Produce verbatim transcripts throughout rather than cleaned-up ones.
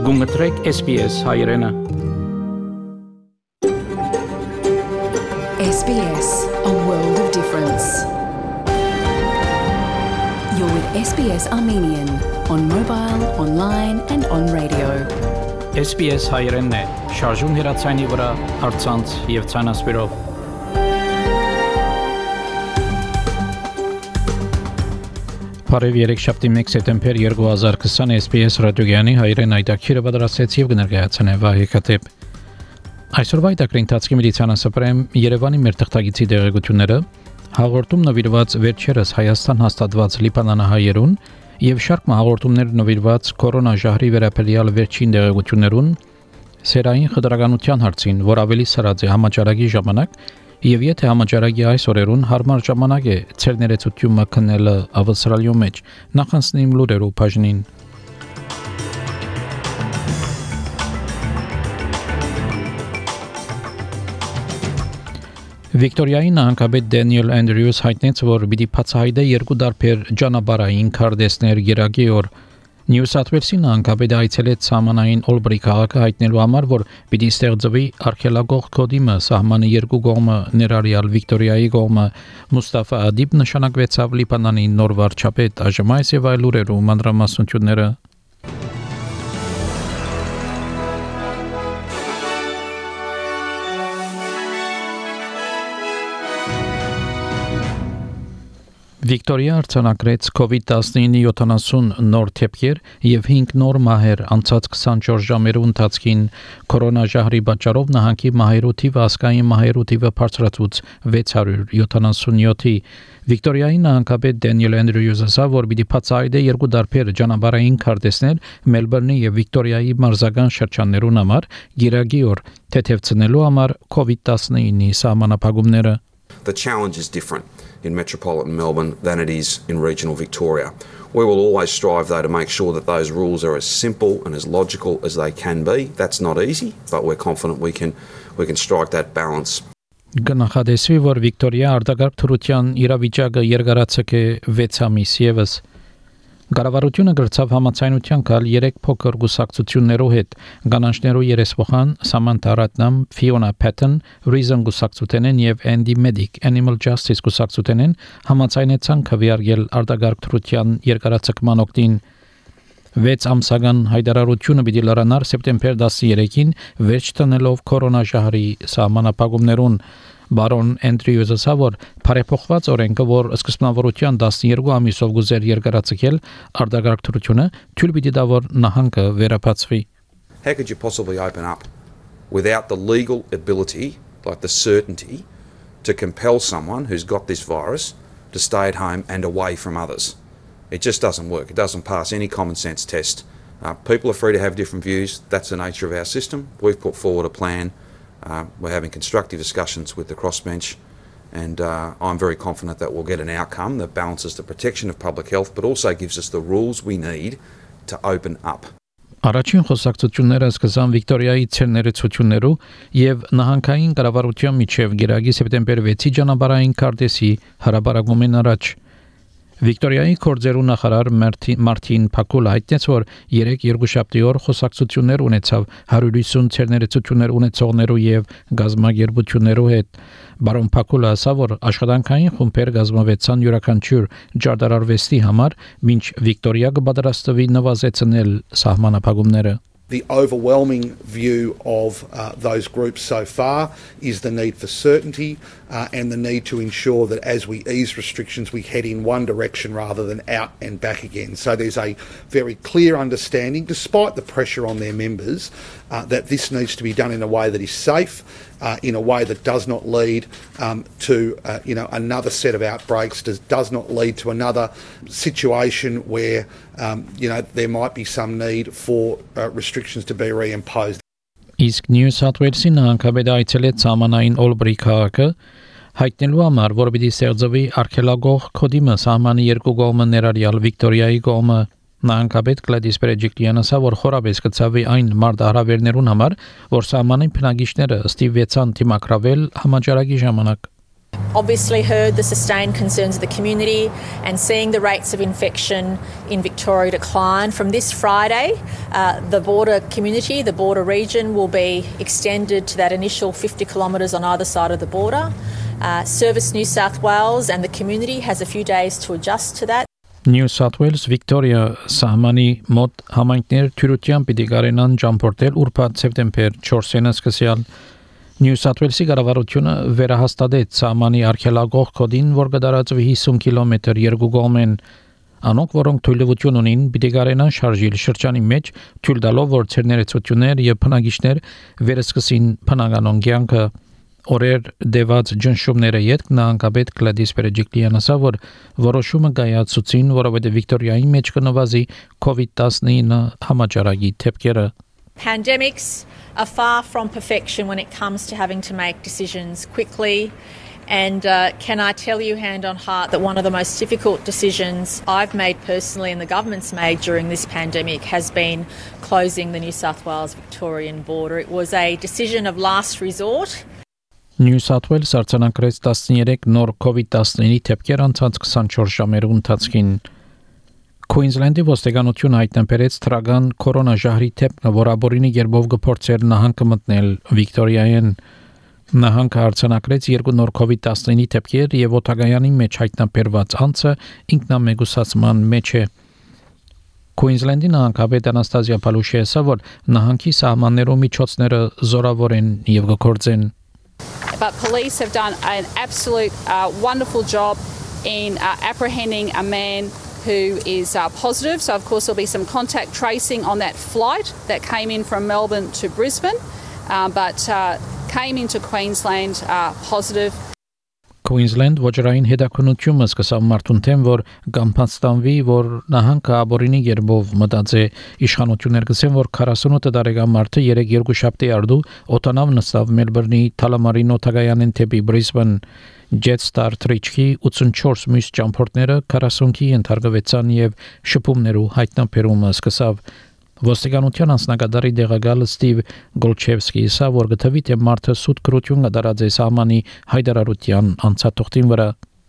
Գումտրեք S B S հայրենը S B S, a world of difference. You're with S B S Armenian on mobile, online and on radio. S B S հայրենն է, շարժուն հեռացանի վրա, առցանց եւ ցանասպիրով։ Բարև երեքշաբթի մեկ սեպտեմբեր երկու հազար քսան S B S ռադիոգյանի հայրեն այդակիրը պատրաստեց եւ կներկայացնե Վահե Քաթեփ։ Այսօրվա այդակրի ընթացքի մեդիցինասպրեմ Երևանի մեր թղթագիտի տեղեկությունները, հաղորդում նվիրված վերջերս Հայաստան հաստատված լիբանանահայերուն եւ շարք հաղորդումներ նվիրված կորոնաժահրի վերաբերյալ վերջին տեղեկություններուն, սերային խտրականության հարցին, որ ավելի սրած է համաճարակի ժամանակ, եւ եթե համաճարակի այս օրերուն հարմար ժամանակ է ցեր ներեցությունը քննելը ավստրալիո մեջ, նախանցնիմ լուրերու բաժնին։ Վիկտորիայի նահանգապետ Դենիել Անդրյուս հայտնեց, որ պիտի բացահայտե երկու դարբեր ճանապարհային քարտեզներ գերակի օր։ Նյու Սաութ Ուելսի նահանգապետը այցելեց սահմանային Օլբրի քաղաքը հայտնելու համար, որ պիտի ստեղծվի արխեոլոգ կոդիմը սահմանի երկու կողմը ներառյալ Վիկտորիայի կողմը Մուստաֆա Ադիբ նշանակվեցավ Լիբանանի նոր վարչապետ, այժմ այս եւ այլ լուրերու մանրամասնությունները։ Վիկտորիա արձանագրեց COVID nineteen յոթանասուն նոր դեպքեր եւ հինգ նոր մահեր անցած քսանչորս ժամերու ընթացքին կորոնաժահրի պատճառով նահանգի մահերու թիվը ասկային մահերու թիվը բարձրացուց վեց հարյուր յոթանասունյոթի։ Վիկտորիայի նահանգապետ Դենիել Անդրյուսը ասավ, որ պիտի բացահայտե երկու դարբեր ճանապարհային քարտեզներ Մելբուրնի եւ Վիկտորիայի մարզական շրջաններուն համար գիրագի օր թեթևցնելու համար COVID nineteen-ի սահմանափակումները։ The challenge is different in metropolitan Melbourne than it is in regional Victoria. We will always strive, though, to make sure that those rules are as simple and as logical as they can be. That's not easy, but we're confident we can we can strike that balance. Գնահատեսվի, որ Վիկտորիա արտակարգ թրության իրավիճակը երկարացեք է վեց ամիս եւս։ Կառավարությունը գրծավ համաձայնության գալ երեք փոքր գուսակցություններով հետ, կանանչներու երեսփոխան Սամանթա Ռատնամ, Ֆիոնա Փեթեն, Reason գուսակցութենեն եւ Andy Medic Animal Justice գուսակցութենեն համաձայնեցան քվեարկել արտակարգ թրության երկարացկման օգտին։ վեց ամսական հայտարարությունը պիտի լրանար սեպտեմբեր տասներեքին վերջ տնելով կորոնաժահրի սահմանափակումներուն։ Բարոն Անդրյուսը ասավ, որ բարեփոխված օրենքը, որ սկզբնավորության տասներկու ամիսով գուզեր երկարացկել արտակարգ թրությունը, թույլ պիտի տա, որ նահանգը վերապացվի։ How could you possibly open up without the legal ability, like the certainty, to compel someone who's got this virus to stay at home and away from others? It just doesn't work. It doesn't pass any common sense test. Uh, people are free to have different views. That's the nature of our system. We've put forward a plan. Uh, we're having constructive discussions with the crossbench, and uh, I'm very confident that we'll get an outcome that balances the protection of public health, but also gives us the rules we need to open up. Առաջին խոսակցությունները սկսան Վիկտորիայի ցերներեցություններու եւ նահանգային կառավարության միջև գերագի սեպտեմբեր վեցի ճանապարհային քարտեզի հրապարակումին առաջ։ Վիկտորիայի կորձերու նախարար Մարտին Փակուլը հայտնեց, որ երեք երկուշաբթի օր խոսակցություններ ունեցավ հարյուր ութսուն ցերներեցություններ ունեցողներու եւ գազագերբություններու հետ։ Բարոն Փակուլը ասավ, որ աշխատանքային խումբեր գազմավեցան յուրաքանչյուր ջարդարարվեստի համար, մինչ Վիկտորիա կպատրաստվի նվազեցնել սահմանափակումները։ The overwhelming view of uh, those groups so far is the need for certainty uh, and the need to ensure that as we ease restrictions, we head in one direction rather than out and back again. So there's a very clear understanding, despite the pressure on their members, uh, that this needs to be done in a way that is safe, uh, in a way that does not lead um, to uh, you know another set of outbreaks, does, does not lead to another situation where um, you know there might be some need for uh, restrictions to be reimposed. Իսկ Նյու Սաութ Ուելսի նահանգապետը այցելեց սահմանային Օլբրի քաղաքը հայտնելու համար, որ պիտի ստեղծվի արխեոլոգ կոդիմը սահմանի երկու կողմը ներառյալ Վիկտորիայի կողմը։ Նահանգապետ Գլադիս Պերեջիկլյանը ասա, որ խորաբես կցավի այն մարտահրավերներուն համար, որ սահմանային բնակիչները ստիպվեցան դիմակրավել համաճարակի ժամանակ։ obviously heard the sustained concerns of the community and seeing the rates of infection in Victoria decline. From this Friday, uh, the border community, the border region will be extended to that initial fifty kilometres on either side of the border. Uh, Service New South Wales and the community has a few days to adjust to that. New South Wales Victoria սահմանի մոտ համայնքներ թյուրությամբ պիտի կարենան ճամփորդել ուրբաթ սեպտեմբեր չորսին սկսյալ New South Wales-ի կառավարությունը վերահաստատեց սահմանի արգելագող կոդին, որ կդարածվի հիսուն կիլոմետր երկու կողմեն անոնք, որոնք թույլտվություն ունին, պիտի կարենան շարժիլ շրջանի մեջ, թույլ տալով, որ ցերներեցություններ եւ փնագիչներ վերսկսին փնագանոն կյանքը Օրեր դեված ջնշումները յետք նահանգապետ Գլադիս Բերեջիկլիանը ասա, որ որոշումը կայացուցին, որովհետև Վիկտորիայի մեջ կնվազի COVID nineteen համաճարակի թեփքերը. Pandemics are far from perfection when it comes to having to make decisions quickly. And uh, can I tell you hand on heart that one of the most difficult decisions I've made personally and the government's made during this pandemic has been closing the New South Wales Victorian border. It was a decision of last resort. New South Wales արձանագրեց տասներեք նոր COVID nineteen թեփքեր անցած twenty-four ժամերու ընթացքին. Queensland-ի ոստիկանությունը հայտնաբերեց թրագան կորոնաժահրի թեփքը, որ աբորինի երբով գործեր նահանգը մտնել Վիկտորիայեն. Նահանգը արձանագրեց երկու նոր COVID nineteen թեփքեր եւ օտագայանի մեջ հայտնաբերված անձը ինքնամեկուսացման մեջ է. Queensland-ի նահանգապետ Անաստազիա Պալուշի ասա, որ նահանգի սահմաններում միջոցները զորավոր են եւ գործեն. But police have done an absolute uh, wonderful job in uh, apprehending a man who is uh, positive. So, of course, there'll be some contact tracing on that flight that came in from Melbourne to Brisbane, uh, but uh, came into Queensland uh, positive. Queensland ոչռային հետաքննությունը սկսավ մարդուն թեմ, որ գամփաստանվի, որ նահանգը աբորինի երբով մտածե իշխանություններ գսեն, որ forty-eight տարեկան մարդը երեք երկուշաբթի արդու օտանավ նստավ Մելբուրնի Թալամարին օտագայանեն թեպի Բրիսբեն Jetstar Trichy eighty-four մյուս ճամփորդները forty-ի ենթարկվեցան եւ շփումներու հայտնաբերումը սկսավ. Ոստիկանության անձնակատարի դեղակալ Ստիվ Գոլչևսկի ասա, որ գտվի թե մարդը սուտ կրություն կդարած է սահմանի հայտարարության անցաթողտին վրա.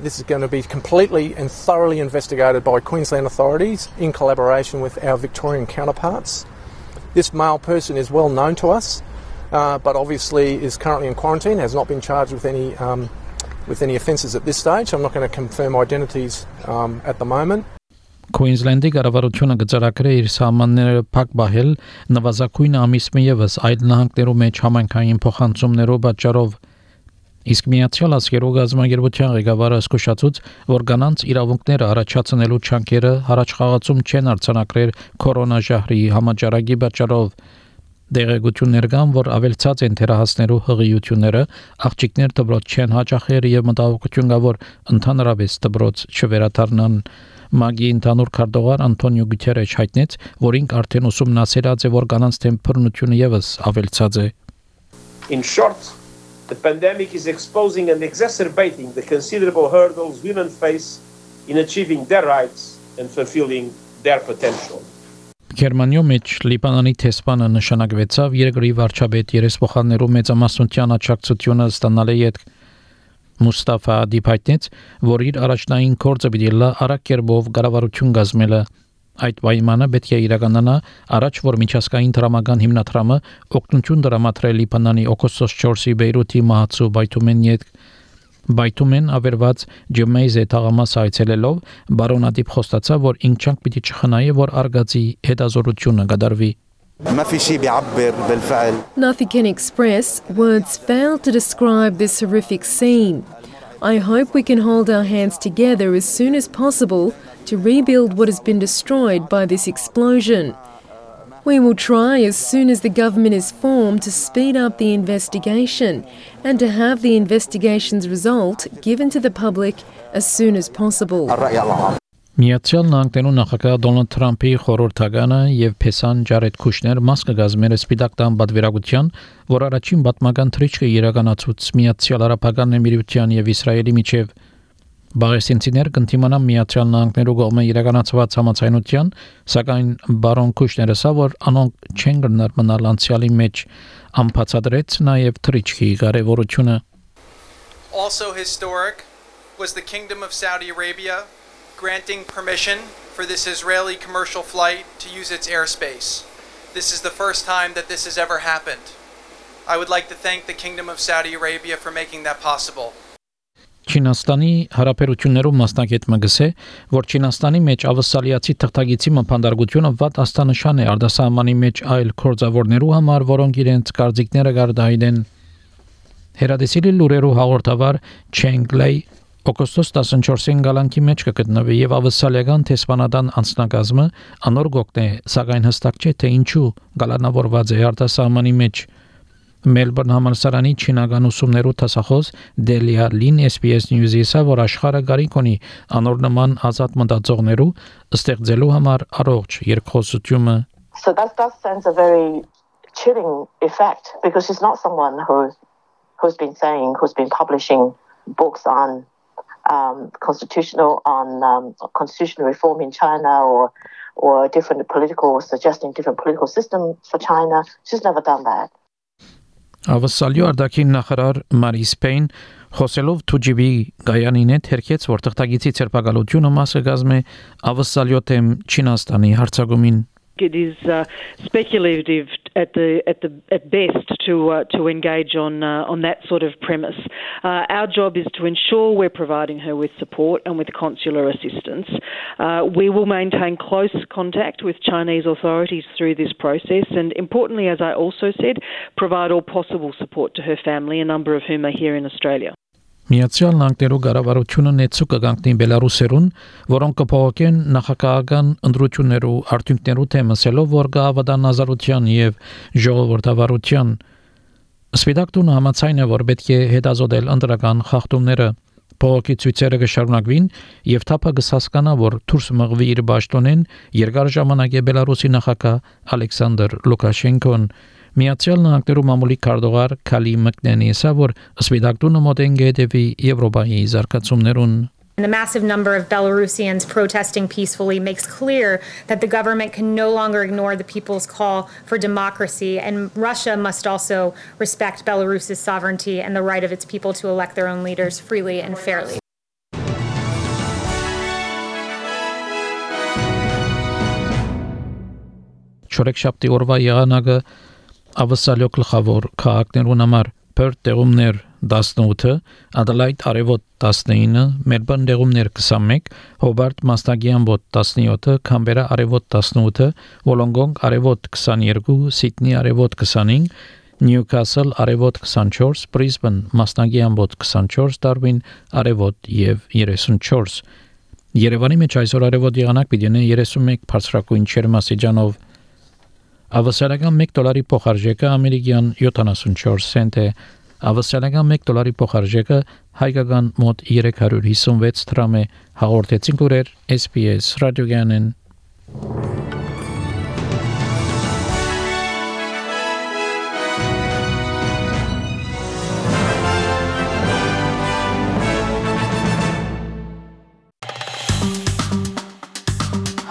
This is going to be completely and thoroughly investigated by Queensland authorities in collaboration with our Victorian counterparts. This male person is well known to us, uh, but obviously is currently in quarantine, has not been charged with any um, with any offences at this stage. I'm not going to confirm identities um, at the moment. Queensland-ի կառավարությունը գծարակրե իր սահմանները փակ բահել նվազագույն ամիսը եւս այլ նահանգներու մեջ համայնքային փոխանցումներով պատճառով. Իսկ Միացյալ Աշխարհի գազագերբության ղեկավարը զսկուշացուց, որ կանանց իրավունքները առաջացնելու չանքերը հառաչխաղացում չեն արձանագրել կորոնաժահրի համաճարակի պատճառով. Դեղեցություններ կան, որ ավելցած են թերահասներու հղիությունները, աղջիկներ դպրոց չեն հաճախել եւ մտահոգություն կա, որ ընդհանրապես դպրոց չվերադառնան. Մագի ընդհանուր քարտուղար Անտոնիո Գուտերեշ հայտնեց, որ ինք արդեն ուսումնասիրած է, որ կանանց դեմ բռնությունը եւս ավելցած է. In short, the pandemic is exposing and exacerbating the considerable hurdles women face in achieving their rights and fulfilling their potential. Գերմանիո մեջ Լիբանանի տեսփանը նշանակվեցավ երկրի վարչապետ երեսփոխաններու մեծամասնության աջակցությունը ստանալը յետ Մուստաֆա Դիփայտնից, որ իր առաջնային կորձը պիտի լա արակերբով գարավարություն գազմելը. Այդ պայմանը պետք է իրականանա առաջ, որ միջազգային դրամական հիմնադրամը օգնություն դրամատրել Լիբանանի օգոստոս չորսի Բեյրութի մահացու Բայթումեն յետ Բայթումեն ավերված Ջեմեյզե թաղամաս այցելելով բարոնադիպ խոստացավ, որ ինքնանք պիտի չխնայե, որ արգածի հետազորությունը կդարվի. Nothing can express, words fail to describe this horrific scene. I hope we can hold our hands together as soon as possible to rebuild what has been destroyed by this explosion. We will try as soon as the government is formed to speed up the investigation and to have the investigation's result given to the public as soon as possible. Միացյալ Նահանգներու նախագահ Դոնալդ Թրամփի խորհրդականը եւ Փեսան Ջարեդ Քուշներ մաս կգազմեն Սպիտակ տան պատվիրակության, որ առաջին պատմական թռիչքը իրականացուց Միացյալ Արաբական Էմիրությունների եւ Իսրայելի միջև. Բաղեստինցիներ կընդդիմանան Միացյալ Նահանգներու կողմէ իրականացված համաձայնության, սակայն բարոն Քուշները ասա, որ անոնք չեն գնար մնալ անցյալի մեջ, անբացատրեց նաեւ թռիչքի կարեւորությունը. Also historic was the Kingdom of Saudi Arabia granting permission for this Israeli commercial flight to use its airspace. This is the first time that this has ever happened. I would like to thank the Kingdom of Saudi Arabia for making that possible. Չինաստանի հարաբերություններում մասնակետը գսե, որ Չինաստանի մեջ ավսալիացի թղթագիտի մփանդարգությունը վատ աստանշան է արտասահմանի մեջ այլ կորձավորներու համար, որոնք իրենց կարծիքները գարդայեն։ Հերադեսիլի լուրերու հաղորդավար Չենգլեյ օգոստոս տասնչորսին գալանքի մեջ կգտնվի եւ ավսալիական տեսփանադան անձնակազմը անոր գոկն է, սակայն հստակ չէ թե ինչու գալանավորված է արտասահմանի մեջ։ Մելբուրն համալսարանի չինական ուսումներու տասախոս Դելիա Լին S B S News-ի ասա, որ աշխարհը գարիք ունի անոր նման ազատ մտածողներու ստեղծելու համար առողջ երկխոսությունը. So that that sends a very chilling effect because he's not someone who who's been saying who's been publishing books on um, constitutional on um, constitutional reform in China or or different political suggesting different political system for China. She's never done that. Ավսալյո արտաքին նախարար Մարիս Պեյն խոսելով Թուջիբի գայանին հետ հերքեց, որ թղթագիտի ցերպակալությունը մասը գազմե ավսալյո թեմ Չինաստանի հարցակումին. It is uh, speculative at the at the at best to uh, to engage on uh, on that sort of premise. Uh, our job is to ensure we're providing her with support and with consular assistance. Uh, we will maintain close contact with Chinese authorities through this process, and importantly, as I also said, provide all possible support to her family, a number of whom are here in Australia. Միացյալ Նահանգներու կառավարությունը նեցու կգանքնի Բելարուսերուն, որոնք կփոխեն նախագահական ընտրություններու արդյունքներու թեմասելով, որ գավադան ազատության եւ ժողովրդավարության Սպիտակ տունը համաձայն է, որ պետք է հետազոտել ընտրական խախտումները, փողոքի ցույցերը կշարունակվին եւ թափը կհասկանա, որ դուրս մղվի իր պաշտոնեն երկար ժամանակ է Բելարուսի նախագահ Ալեքսանդր Լուկաշենկոն Միացյալ Նահանգներու մամուլի քարտուղար Քալի Մկնենի ասա, որ Սպիտակ տունը մոտեն գետևի Եվրոպայի զարգացումներուն. And the massive number of Belarusians protesting peacefully makes clear that the government can no longer ignore the people's call for democracy, and Russia must also respect Belarus's sovereignty and the right of its people to elect their own leaders freely and fairly. Չորեքշաբթի օրվա եղանակը ավսալյո գլխավոր քաղաքներուն համար Perth տեղումներ տասնութ, Adelaide արևոտ տասնինը, Melbourne տեղումներ քսանմեկ, Hobart մասնագի ամբոտ տասնյոթ, Canberra արևոտ տասնութ, Wollongong արևոտ քսաներկու, Sydney արևոտ քսանինը, Newcastle արևոտ քսանչորս, Brisbane մասնագի ամբոտ քսանչորս, Darwin արևոտ եւ երեսունչորս։ Երևանի մեջ այսօր արևոտ եղանակ պիտի ունենա երեսունմեկ բարձրակույն ջերմաստիճանով։ Ավսալական մեկ դոլարի փոխարժեքը ամերիկյան յոթանասունչորս سنت է, ավսալական մեկ դոլարի փոխարժեքը հայկական մոտ երեք հարյուր հիսունվեց դրամ է, հաղորդեցին կուրեր S B S ռադիոգյանեն։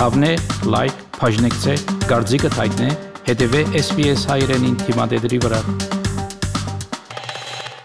Հավնե, լայք, բաժնեկցե, դարձիկը թայտնե, հետևե S B S հայրենին թիմադեդրի վրա։